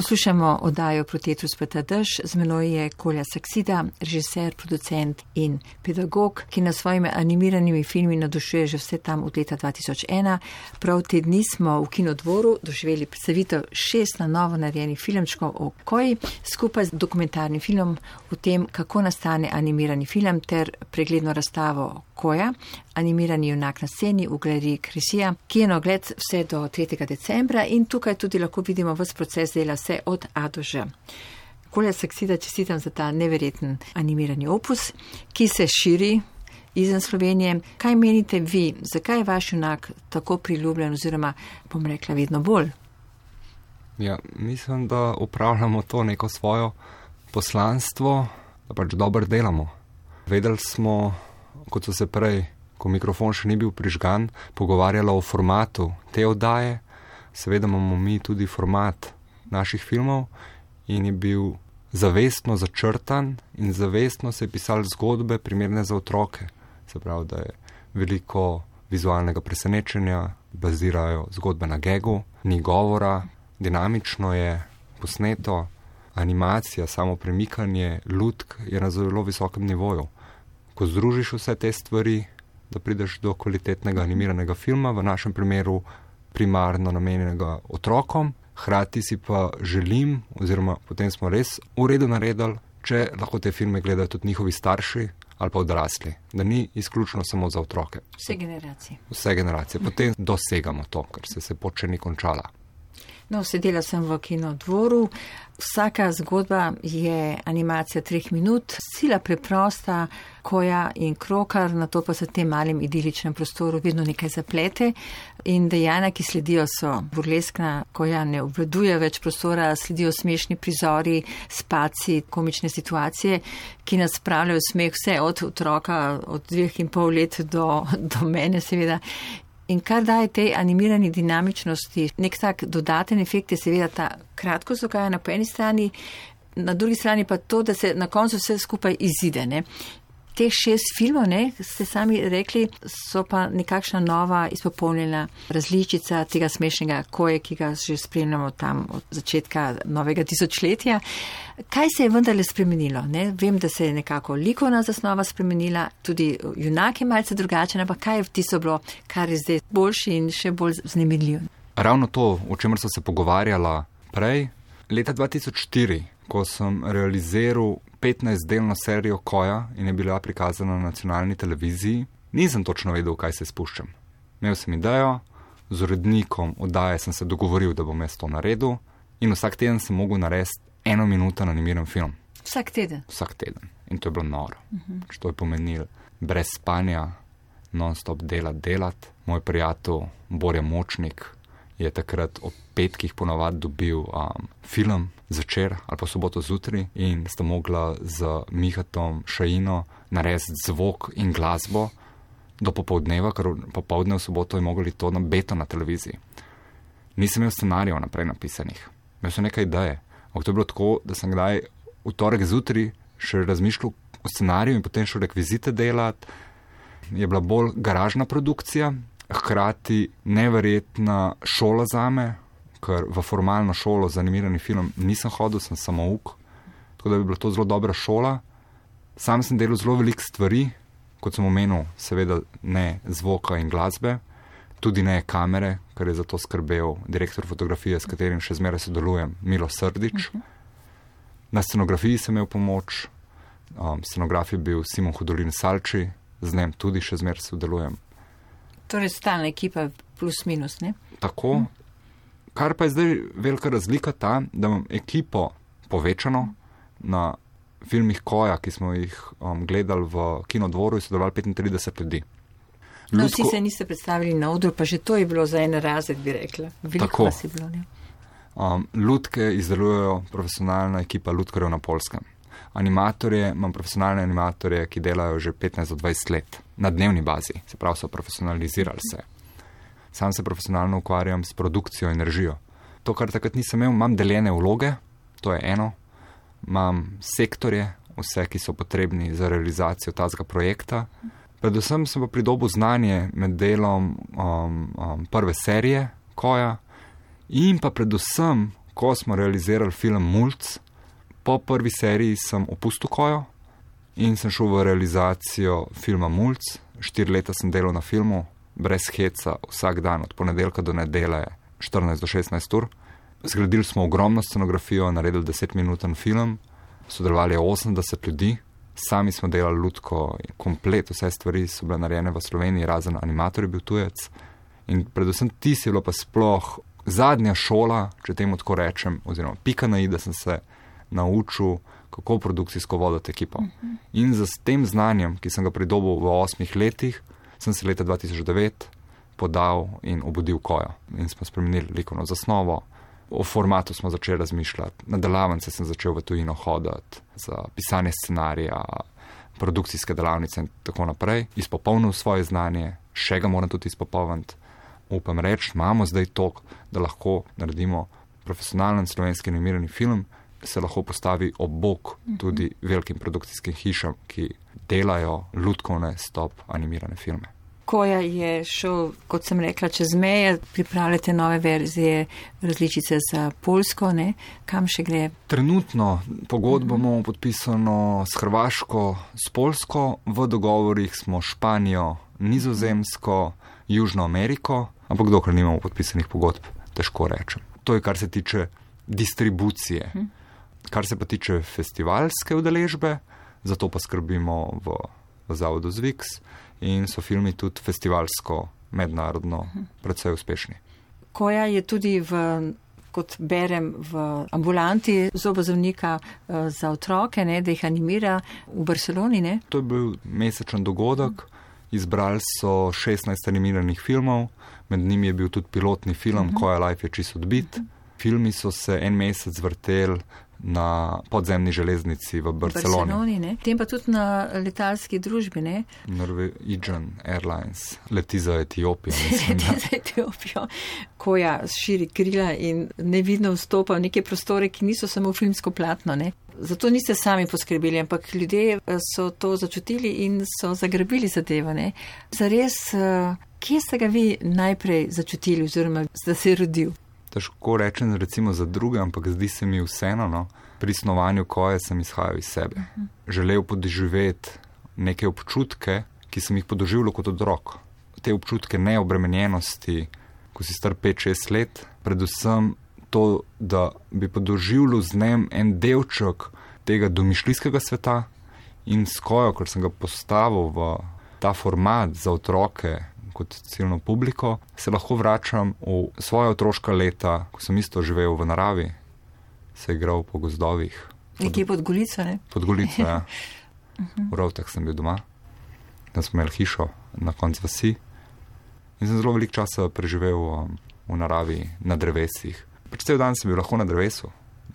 Poslušamo oddajo Protetrus Peta Dež, z menoj je Kolja Saksida, režiser, producent in pedagog, ki nas svojimi animiranimi filmi navdušuje že vse tam od leta 2001. Prav te dni smo v Kinodvoru doživeli predstavitev 6 na novo narejenih filmčkov o Koji, skupaj z dokumentarnim filmom o tem, kako nastane animirani film, ter pregledno razstavo Koja, animirani junak na sceni v galeriji Kresija, ki je na ogled vse do 3. decembra in tukaj tudi lahko vidimo ves proces dela vse od A do Ž. Kolja Saksida, čestitam za ta neverjeten animirani opus, ki se širi izven Slovenije. Kaj menite vi, zakaj je vaš junak tako priljubljen oziroma, bom rekla, vedno bolj? Ja, mislim, da upravljamo to neko svojo poslanstvo, da pač dobro delamo. Vedeli smo, kot so se prej, ko mikrofon še ni bil prižgan, pogovarjala o formatu te oddaje. Seveda imamo mi tudi format naših filmov in je bil zavestno začrtan in zavestno se je pisali zgodbe primerne za otroke. Se pravi, da je veliko vizualnega presenečenja, bazirajo zgodbe na gegu, ni govora, dinamično je posneto, animacija, samo premikanje, lutk je na zelo visokem nivoju. Ko združiš vse te stvari, da prideš do kvalitetnega animiranega filma, v našem primeru primarno namenjenega otrokom, hkrati si pa želim, oziroma potem smo res v redu naredili, če lahko te filme gledajo tudi njihovi starši ali pa odrasli, da ni izključno samo za otroke. Vse generacije. Vse generacije. Potem dosegamo to, ker se pot še ni končala. No, sedela sem v Kinodvoru. Vsaka zgodba je animacija 3 minut, sila preprosta, Koja in krokar, na to pa se v tem malem idiličnem prostoru vedno nekaj zaplete in dejanja, ki sledijo, so burleskna. Koja ne obvladuje več prostora, sledijo smešni prizori, spaci, komične situacije, ki nas spravljajo smeh vse od otroka, od 2,5 let do mene seveda. In kar daje tej animirani dinamičnosti, nek tak dodaten efekt je seveda ta kratkost dogajanja po eni strani, na drugi strani pa to, da se na koncu vse skupaj izide, ne. Teh 6 filmov, ne, ste sami rekli, so pa nekakšna nova izpopolnjena različica tega smešnega Koje, ki ga že spremljamo tam od začetka novega tisočletja. Kaj se je vendarle spremenilo? Ne? Vem, da se je nekako likovna zasnova spremenila, tudi junak je malce drugačen, ampak kaj je tisto bilo, kar je zdaj boljši in še bolj vznemirljiv? Ravno to, o čemer so se pogovarjala prej, leta 2004, ko sem realiziral 15-delno serijo Koja in je bila prikazana na nacionalni televiziji, nisem točno vedel, kaj se spuščam. Imel sem idejo, z urednikom oddaje sem se dogovoril, da bom jaz to naredil in vsak teden sem mogel narediti 1 minuto animiran film. Vsak teden? Vsak teden. In to je bilo noro. To je pomenilo brez spanja, non-stop delati. Moj prijatelj Borja Močnik je takrat ob petkih ponavadi dobil film zvečer ali pa soboto zjutraj in sta mogla z Mihatom Šajino narediti zvok in glasbo do popoldneva, ker popoldne v soboto je mogli to na beto na televiziji. Nisem imel scenarijev naprej napisanih. Imel sem nekaj ideje. Ampak to je bilo tako, da sem kdaj v torek zjutraj še razmišljal o scenariju in potem šel rekvizite delati. Je bila bolj garažna produkcija, hkrati neverjetna šola zame, ker v formalno šolo za animirani film nisem hodil, sem samouk, tako da bi bila to zelo dobra šola. Sam sem delal zelo veliko stvari, kot sem omenil, seveda ne zvoka in glasbe, tudi ne kamere, ker je za to skrbel direktor fotografije, s katerim še zmeraj sodelujem, Milo Srdić. Na scenografiji sem imel pomoč, scenograf je bil Simon Hudolin Salči, z njim tudi še zmeraj sodelujem. Torej stalna ekipa plus minus, ne? Tako. Kar pa je zdaj velika razlika ta, da imam ekipo povečano na filmih Koja, ki smo jih gledali v Kinodvoru in sodelovali 35 ljudi. No, vsi se niste predstavili na odru, pa že to je bilo za en razred, bi rekla. Veliko vas je bilo, ne? Lutke izdelujejo profesionalna ekipa lutkarjev na Poljskem. Imam profesionalne animatorje, ki delajo že 15 do 20 let na dnevni bazi, se pravi so profesionalizirali se. Sam se profesionalno ukvarjam s produkcijo in režijo. To, kar takrat nisem imel, imam deljene vloge, to je eno, imam sektorje, vse, ki so potrebni za realizacijo tazga projekta. Predvsem sem pa pridobil znanje med delom prve serije Koja in pa predvsem, ko smo realizirali film Mulc, po prvi seriji sem opustil Kojo in sem šel v realizacijo filma Mulc. 4 leta sem delal na filmu, brez heca, vsak dan, od ponedeljka do nedelje, 14 do 16 ur. Zgradili smo ogromno scenografijo, naredili 10-minuten film, sodelovali je 80 ljudi, sami smo delali lutko, komplet, vse stvari so bile narejene v Sloveniji, razen animator je bil tujec. In predvsem tisti je bilo pa sploh zadnja šola, če temu tako rečem, oziroma pika na i, da sem se naučil, kako produkcijsko voditi ekipo. In z tem znanjem, ki sem ga pridobil v 8 letih, sem se leta 2009 podal in obudil Kojo. In smo spremenili likovno zasnovo, o formatu smo začeli razmišljati, na delavnice sem začel v tujino hoditi, za pisanje scenarija, produkcijske delavnice in tako naprej. Izpopolnil svoje znanje, še ga moram tudi izpopolniti. Upam reči, imamo zdaj to, da lahko naredimo profesionalen slovenski animirani film, se lahko postavi ob bok tudi velikim produkcijskim hišam, ki delajo lutkovne stop animirane filme. Koja je šel, kot sem rekla, čez meje, pripravljate nove verzije, različice za Poljsko, ne? Kam še gre? Trenutno pogodbo imamo podpisano s Hrvaško, s Poljsko, v dogovorih smo Španijo, Nizozemsko, Južno Ameriko, ampak dokler nimamo podpisanih pogodb, težko rečem. To je, kar se tiče distribucije. Kar se pa tiče festivalske udeležbe, zato pa skrbimo v zavodu Zviks in so filmi tudi festivalsko, mednarodno, predvsej uspešni. Koja je tudi kot berem, v ambulanti zobozdravnika za otroke, ne, da jih animira v Barceloni, ne? To je bil mesečen dogodek. Izbrali so 16 animiranih filmov, med njimi je bil tudi pilotni film Koja Life je čisto odbit. Filmi so se en mesec vrteli na podzemni železnici v Barceloni. Ne? Tem pa tudi na letalski družbi, ne? Norwegian Airlines leti za Etiopijo. Za Etiopijo. Koja širi krila in nevidno vstopa v neke prostore, ki niso samo filmsko platno, ne? Zato niste sami poskrbeli, ampak ljudje so to začutili in so zagrabili zadevo, ne? Zares, kje ste ga vi najprej začutili oziroma da se je rodil? Težko rečem recimo za druge, ampak zdi se mi vseeno, no. Pri snovanju Koje sem izhajal iz sebe. Želel podoživeti neke občutke, ki sem jih podoživljal kot otrok. Te občutke neobremenjenosti, ko si star 5-6 let, predvsem to, da bi podoživljal z njem en delček tega domišljijskega sveta in s Kojo, ker sem ga postavil v ta format za otroke, kot ciljno publiko, se lahko vračam v svoja otroška leta, ko sem isto živel v naravi, se igral po gozdovih. Nekje pod Golico, ne? Pod Golico, ja. V Rovtah sem bil doma, da smo imeli hišo na koncu vasi in sem zelo veliko časa preživel v naravi, na drevesih. Pač cel dan sem bil lahko na drevesu,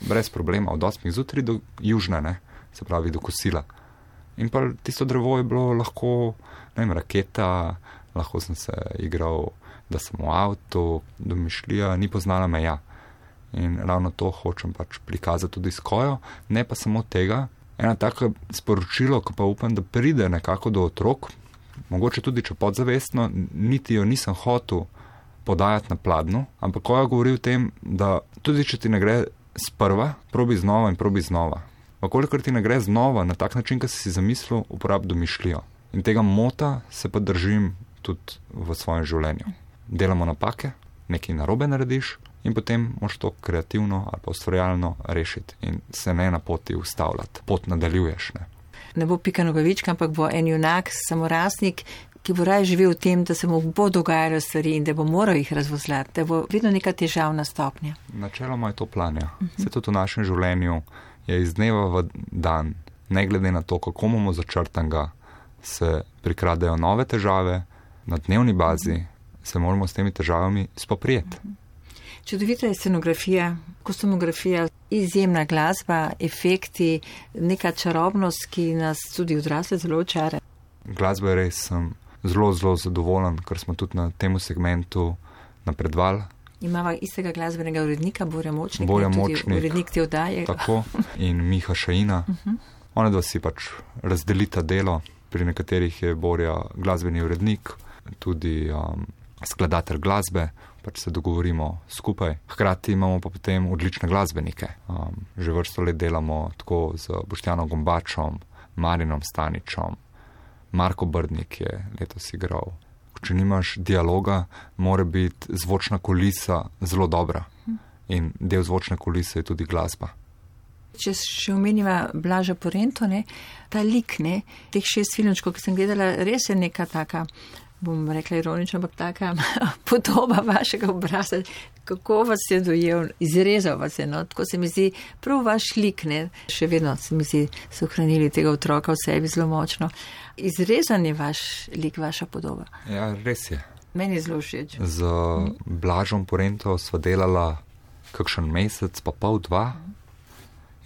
brez problema, od 8 zjutraj do južne, ne, se pravi do kosila. In pa tisto drevo je bilo lahko, ne vem, raketa, lahko sem se igral, da sem v avtu, domišljija, ni poznala meja. In ravno to hočem pač prikazati tudi s Kojo, ne pa samo tega. Ena taka sporočilo, ko pa upam, da pride nekako do otrok, mogoče tudi če podzavestno, niti jo nisem hotel podajati na pladnju, ampak Koja govori o tem, da tudi če ti ne gre sprva, probi znova in probi znova. Kolikor ti ne gre znova na tak način, kot si zamislil, uporabi domišljijo. In tega mota se pa držim tudi v svojem življenju. Delamo napake, nekaj narobe narediš in potem moš to kreativno ali pa ustvarjalno rešiti in se ne na poti ustavljati. Pot nadaljuješ, ne. Ne bo Pika Nogavička, ampak bo en junak, samorastnik, ki bo raje živel v tem, da se mu bo dogajalo stvari in da bo moral jih razvozljati, da bo vedno neka težavna stopnja. Načeloma je to plan, ja. Se tudi v našem življenju je iz dneva v dan, ne glede na to, kako imamo začrtanega, se prikradejo nove težave, na dnevni bazi se moramo s temi težavami spoprijeti. Čudovita je scenografija, kostumografija, izjemna glasba, efekti, neka čarobnost, ki nas tudi odrasle zelo očara. Glasba je res, sem zelo, zelo zadovoljen, ker smo tudi na tem segmentu napredovali. Imava istega glasbenega urednika, Borja Močnik, tudi urednik te oddaje. Tako, in Miha Šajina. Ona dva si pač razdelita delo, pri nekaterih je Borja glasbeni urednik, tudi skladatelj glasbe, pač se dogovorimo skupaj. Hkrati imamo pa potem odlične glasbenike. Že vrsto let delamo tako z Boštjanom Gombačom, Marinom Staničem, Marko Brdnik je letos igral. Če nimaš dialoga, mora biti zvočna kulisa zelo dobra. In del zvočne kulise je tudi glasba. Če še omeniva Blaža Porento, ne, ta lik, ne, teh 6 filmčkov, ki sem gledala, res je neka taka, bom rekla ironično, ampak taka podoba vašega obraza. Kako vas je dojel, izrezal vas je, no, tako se mi zdi, prav vaš lik, ne, še vedno se mi zdi, so ohranili tega otroka v sebi zelo močno. Izrezan je vaš lik, vaša podoba. Ja, res je. Meni je zelo všeč. Z Blažom Porento sva delala kakšen mesec, pa pol, 2.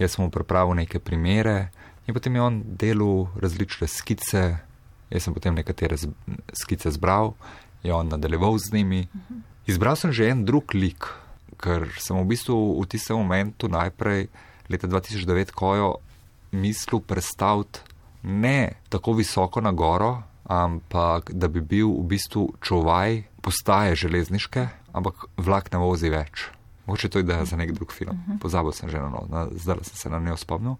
Jaz sem mu pripravil neke primere in potem je on delal različne skice, jaz sem potem nekatere skice zbral, je on nadaljeval z njimi. Izbral sem že en drug lik, ker sem v bistvu v tistem momentu najprej leta 2009 Kojo mislil predstaviti ne tako visoko na goro, ampak da bi bil v bistvu čuvaj postaje železniške, ampak vlak ne vozi več. Mogoče to ideja za nek drug film. Pozabil sem že na novo, zdaj sem se na njo spomnil.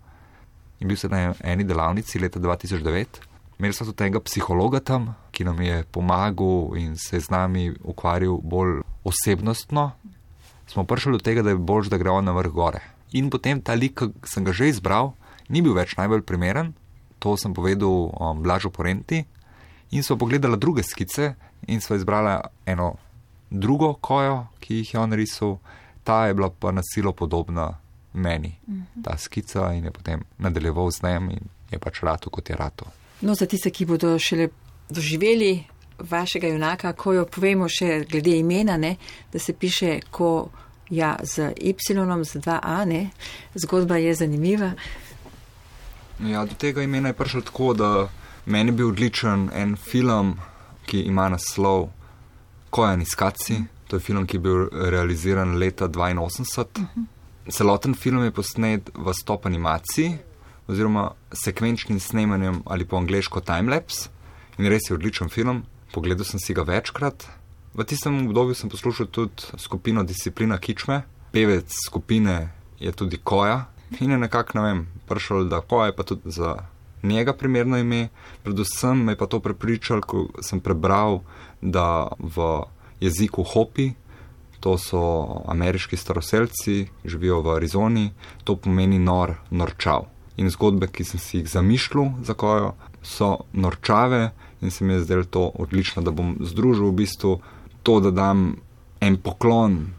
In bil sem na eni delavnici leta 2009. Imeli smo tudi enega psihologa tam, ki nam je pomagal in se z nami ukvarjal bolj osebnostno. Smo prišli do tega, da je bolj, da gre on na vrh gore. In potem ta lik, ki sem ga že izbral, ni bil več najbolj primeren. To sem povedal Blažu Porenti. In smo pogledali druge skice in smo izbrali eno drugo Kojo, ki jih je on risal. Ta je bila pa na silo podobna meni, ta skica, in je potem nadaljeval z njem in je pač ratu, kot je ratu. No, za tiste, ki bodo šele doživeli vašega junaka, Kojo, povemo še glede imena, ne, da se piše Koja z Y, z 2A, ne, zgodba je zanimiva. Ja, do tega imena je prišlo tako, da meni je bil odličen en film, ki ima naslov Kojan iz Kaci. To je film, ki je bil realiziran leta 1982. Celoten film je posnet v stop animaciji oziroma sekvenčnim snemanjem ali po angleško timelapse. In res je odličen film. Pogledal sem si ga večkrat. V tistem obdobju sem poslušal tudi skupino Disciplina Kičme. Pevec skupine je tudi Koja. In je nekako, ne vem, prišel, da Koja je pa tudi za njega primerno ime. Predvsem me je pa to prepričal, ko sem prebral, da v jeziku Hopi, to so ameriški staroselci, živijo v Arizoni, to pomeni norčav. In zgodbe, ki sem si jih zamišljal za Kojo, so norčave in se mi je zdelo to odlično, da bom združil v bistvu to, da dam en poklon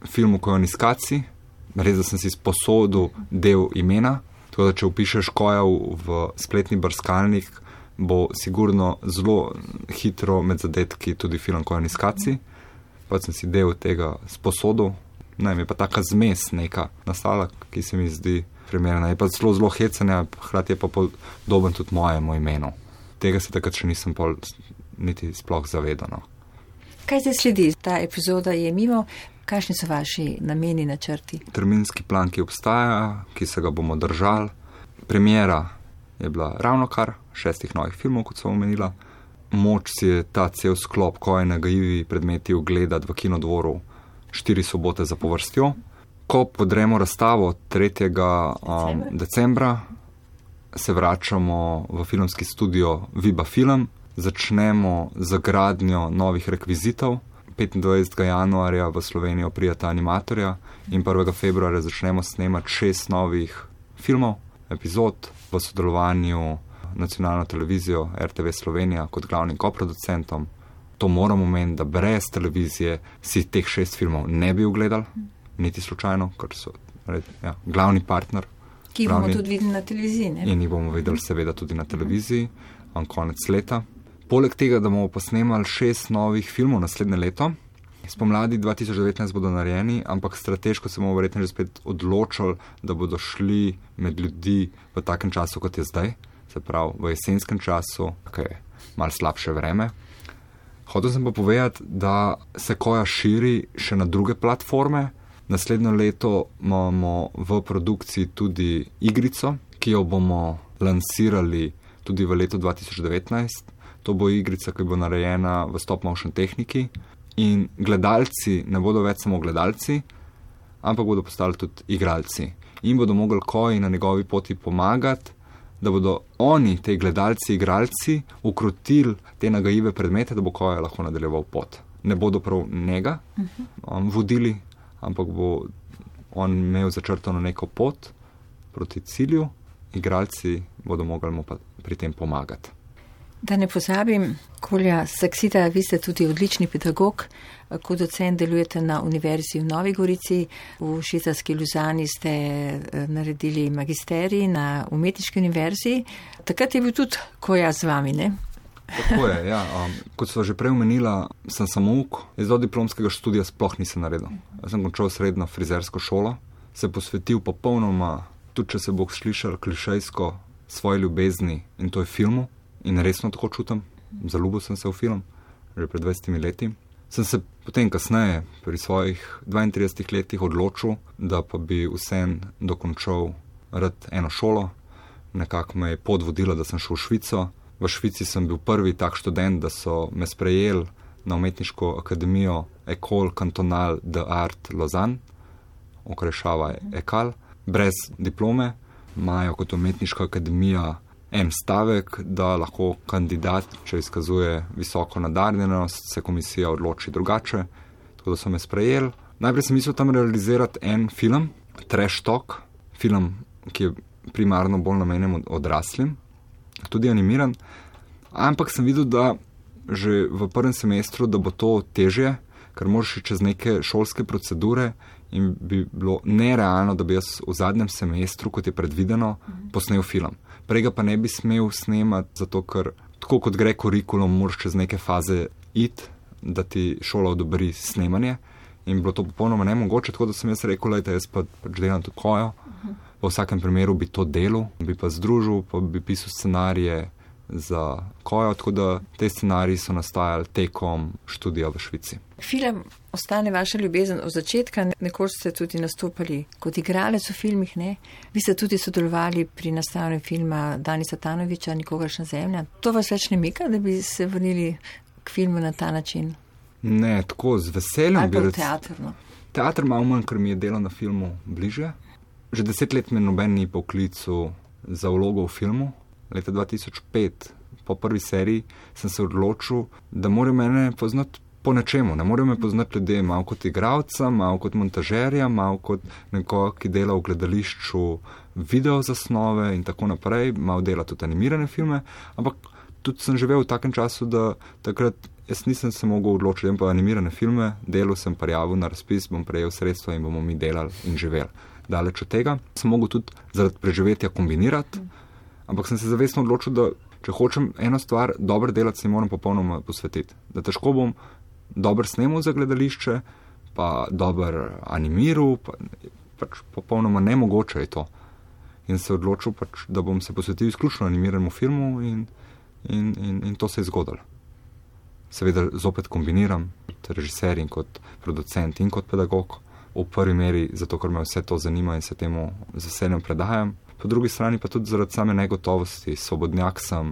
filmu Kojan iz Kaci, res da sem si sposodil del imena, tako da če upišeš Koja v spletni brskalnik, bo sigurno zelo hitro med zadetki tudi film Kojan iz Kaci. Pa sem si del tega sposodil. Ne, mi je pa taka zmes neka nastala, ki se mi zdi primerna. Je pa zelo hecanja, hkrati je pa podoben tudi mojemu imenu. Tega se takrat še nisem niti sploh zavedal. No. Kaj zdaj sledi? Ta epizoda je mimo. Kakšni so vaši nameni, načrti? Terminski plan, ki obstaja, ki se ga bomo držali. Premiera je bila ravnokar 6 novih filmov, kot sem omenila. Moč si je ta cel sklop Koje nagajivi predmeti ogledati v Kinodvoru 4 sobote zapovrstjo. Ko podremo razstavo 3. decembra, se vračamo v filmski studio Viba Film, začnemo z gradnjo novih rekvizitov. 25. januarja v Slovenijo prijeta animatorja in 1. februarja začnemo snemati 6 novih filmov, epizod v sodelovanju nacionalno televizijo RTV Slovenija kot glavnim koproducentom. To moramo omeniti, da brez televizije si teh 6 filmov ne bi ogledali, niti slučajno, ker so glavni partner. Ki jih bomo tudi videli na televiziji, ne? In jih bomo videli seveda tudi na televiziji, konec leta. Poleg tega, da bomo posnemali 6 novih filmov naslednje leto, spomladi 2019 bodo narejeni, ampak strateško se bomo verjetno že spet odločili, da bodo šli med ljudi v takem času, kot je zdaj, se pravi v jesenskem času, ki je malo slabše vreme. Hotel sem pa povedati, da se Koja širi še na druge platforme. Naslednjo leto imamo v produkciji tudi igrico, ki jo bomo lansirali tudi v letu 2019. To bo igrica, ki bo narejena v stop motion tehniki in gledalci ne bodo več samo gledalci, ampak bodo postali tudi igralci. In bodo mogli Koji na njegovi poti pomagati, da bodo oni, te gledalci, igralci, ukrotili te nagajive predmete, da bo Koja lahko nadaljeval pot. Ne bodo prav njega vodili, ampak bo on imel začrtano neko pot proti cilju, igralci bodo mogli mu pa pri tem pomagati. Da ne pozabim, Kolja Saksida, vi ste tudi odlični pedagog, kot docent delujete na Univerzi v Novi Gorici, v švicarski Luzani ste naredili magisterij na Umetniški univerzi, takrat je bil tudi Koja z vami, ne? Tako je, ja. Kot so že prej omenila, sem samouk, do diplomskega študija sploh nisem naredil. Jaz sem končal srednjo frizersko šolo, se posvetil popolnoma, tudi če se bo slišal klišejsko, svoje ljubezni, in to je filmu. In resno tako čutim, zaljubil sem se v film, že pred 20 leti. Sem se potem kasneje, pri svojih 32 letih odločil, da pa bi vsem dokončal rad eno šolo. Nekako me je pot vodila, da sem šel v Švico. V Švici sem bil prvi tak študent, da so me sprejeli na umetniško akademijo École Cantonale d'Art Lausanne, okrajšava ECAL, brez diplome. Imajo kot umetniška akademija en stavek, da lahko kandidat, če izkazuje visoko nadarjenost, se komisija odloči drugače. Tako da so me sprejeli. Najprej sem mislil tam realizirati en film, Trash Talk, film, ki je primarno bolj namenjen odraslim, tudi animiran. Ampak sem videl, da že v prvem semestru, da bo to težje, ker moraš čez neke šolske procedure in bi bilo nerealno, da bi jaz v zadnjem semestru, kot je predvideno, posnel film. Prej ga pa ne bi smel snemati, zato ker tako kot gre kurikulum, moraš čez neke faze iti, da ti šola odobri snemanje. In bilo to popolnoma nemogoče, tako da sem jaz rekel, lejte, jaz pač delam to Kojo. V vsakem primeru bi to delal, bi pa združil, pa bi pisal scenarije za Kojo, tako da te scenariji so nastajali tekom študija v Švici. Film ostane vaša ljubezen od začetka, nekoč ste tudi nastopali kot igralec v filmih, ne? Vi ste tudi sodelovali pri nastajanju filma Danisa Tanovića, Nikogaršnja zemlja. To vas več ne mika, da bi se vrnili k filmu na ta način? Ne, tako z veseljem. Ali pa v teatrno? Teatr malo manj, ker mi je delo na filmu bliže. Že 10 let me noben ni poklical za vlogo v filmu. Leta 2005, po prvi seriji, sem se odločil, da morajo mene poznati po nečemu. Ne morajo me poznati ljudje malo kot igralca, malo kot montažerja, malo kot nekoga, ki dela v gledališču video zasnove in tako naprej, malo dela tudi animirane filme, ampak tudi sem živel v takem času, da takrat jaz nisem se mogel odločiti, pa animirane filme, delal sem prijavil na razpis, bom prejel sredstva in bomo mi delali in živeli. Daleč od tega sem mogel tudi zaradi preživetja kombinirati, ampak sem se zavestno odločil, da če hočem eno stvar dobro delati, se moram popolnoma posvetiti. Da težko bom dobro snemal za gledališče, pa dobro animiral, pač popolnoma nemogoče je to. In se odločil, pač, da bom se posvetil izključno animiranemu filmu in to se je zgodilo. Seveda zopet kombiniram kot režiser in kot producent in kot pedagog. V prvi meri zato, ker me vse to zanima in se temu z veseljem predajam. Po drugi strani pa tudi zaradi same negotovosti. Svobodnjak sem,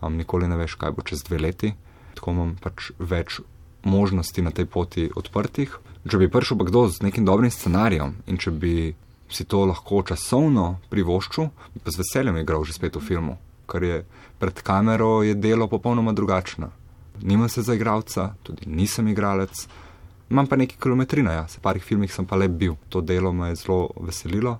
nikoli ne veš, kaj bo čez 2 leti. Tako imam pač več možnosti na tej poti odprtih. Če bi prišel pa kdo z nekim dobrim scenarijem in če bi si to lahko časovno privoščil, bi pa z veseljem igral že spet v filmu. Ker je pred kamero je delo popolnoma drugačno. Nimam se za igralca, tudi nisem igralec. Imam pa nekaj kilometrina, ja. V parih filmih sem pa le bil. To delo me je zelo veselilo.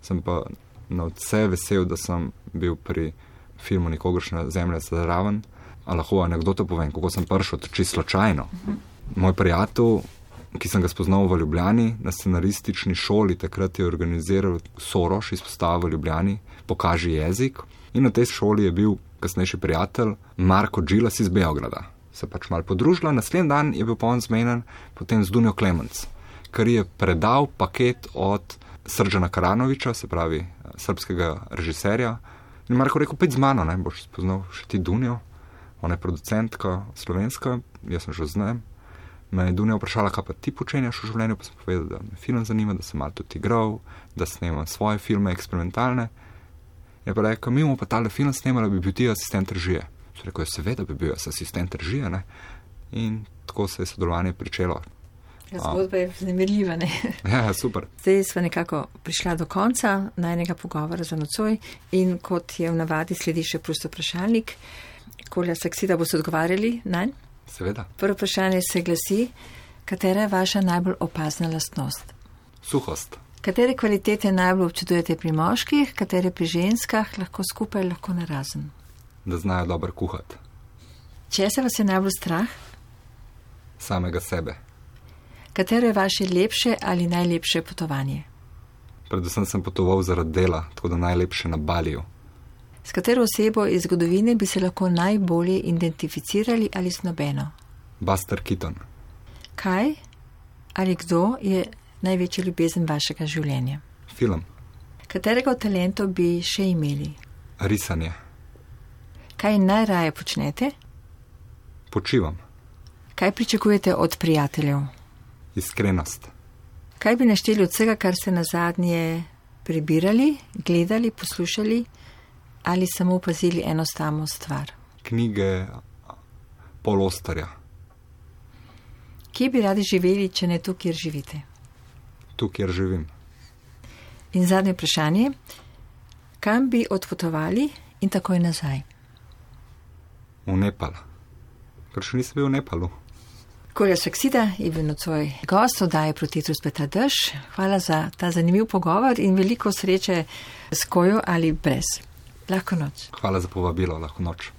Sem pa na vse vesel, da sem bil pri filmu Nikogaršnja zemlja zraven. A lahko anekdoto povem, kako sem prišel, čisto slučajno. Moj prijatelj, ki sem ga spoznal v Ljubljani, na scenaristični šoli, takrat je organiziral Soroš izpostavo v Ljubljani, Pokaži jezik. In na tej šoli je bil kasnejši prijatelj Marko Džilas iz Beograda. Se pač malo podružila, naslednji dan je bil pa on zmenen potem z Dunjo Klemenc, ker je predal paket od Srđana Karanovića, se pravi srpskega režiserja. In Marko rekel, pojdi z mano, ne, boš spoznal še ti Dunjo. Ona je producentka slovenska, jaz sem že z njim. Me je Dunja vprašala, kaj pa ti počenjaš v življenju, pa sem povedal, da me film zanima, da sem malo tudi igral, da snemam svoje filme eksperimentalne. Je pa rekel, mi bomo pa tale film snemali, bi bil ti asistent režije. Sem rekel, seveda bi bil asistent režije, ne. In tako se je sodelovanje pričelo. Zgodba je vznemirljiva, ne? Ja, super. Zdaj smo nekako prišla do konca najnega pogovora za nocoj in kot je v navadi sledi še prosto vprašalnik. Kolja Saksida boste odgovarjali nanj? Seveda. Prvo vprašanje se glasi, katera je vaša najbolj opazna lastnost? Suhost. Katere kvalitete najbolj občudujete pri moških, katere pri ženskah, lahko skupaj, lahko narazen? Da znajo dobro kuhati. Česa vas je najbolj strah? Samega sebe. Katero je vaše lepše ali najlepše potovanje? Predvsem sem potoval zaradi dela, tako da najlepše na Baliju. S katero osebo iz zgodovine bi se lahko najbolje identificirali ali z nobeno? Buster Keaton. Kaj ali kdo je največja ljubezen vašega življenja? Film. Katerega od talentov bi še imeli? Risanje. Kaj najraje počnete? Počivam. Kaj pričakujete od prijateljev? Iskrenost. Kaj bi našteli od vsega, kar ste nazadnje prebirali, gledali, poslušali ali samo opazili eno samo stvar? Knjige Paul Austerja. Kje bi radi živeli, če ne tu, kjer živite? Tu, kjer živim. In zadnje vprašanje. Kam bi odpotovali in takoj nazaj? V Nepal. Ker še nisem bil v Nepalu. Kolja Saksida je bil nocoj gost oddaje Proti vetru spleta dež. Hvala za ta zanimiv pogovor in veliko sreče s Kojo ali brez. Lahko noč. Hvala za povabilo, lahko noč.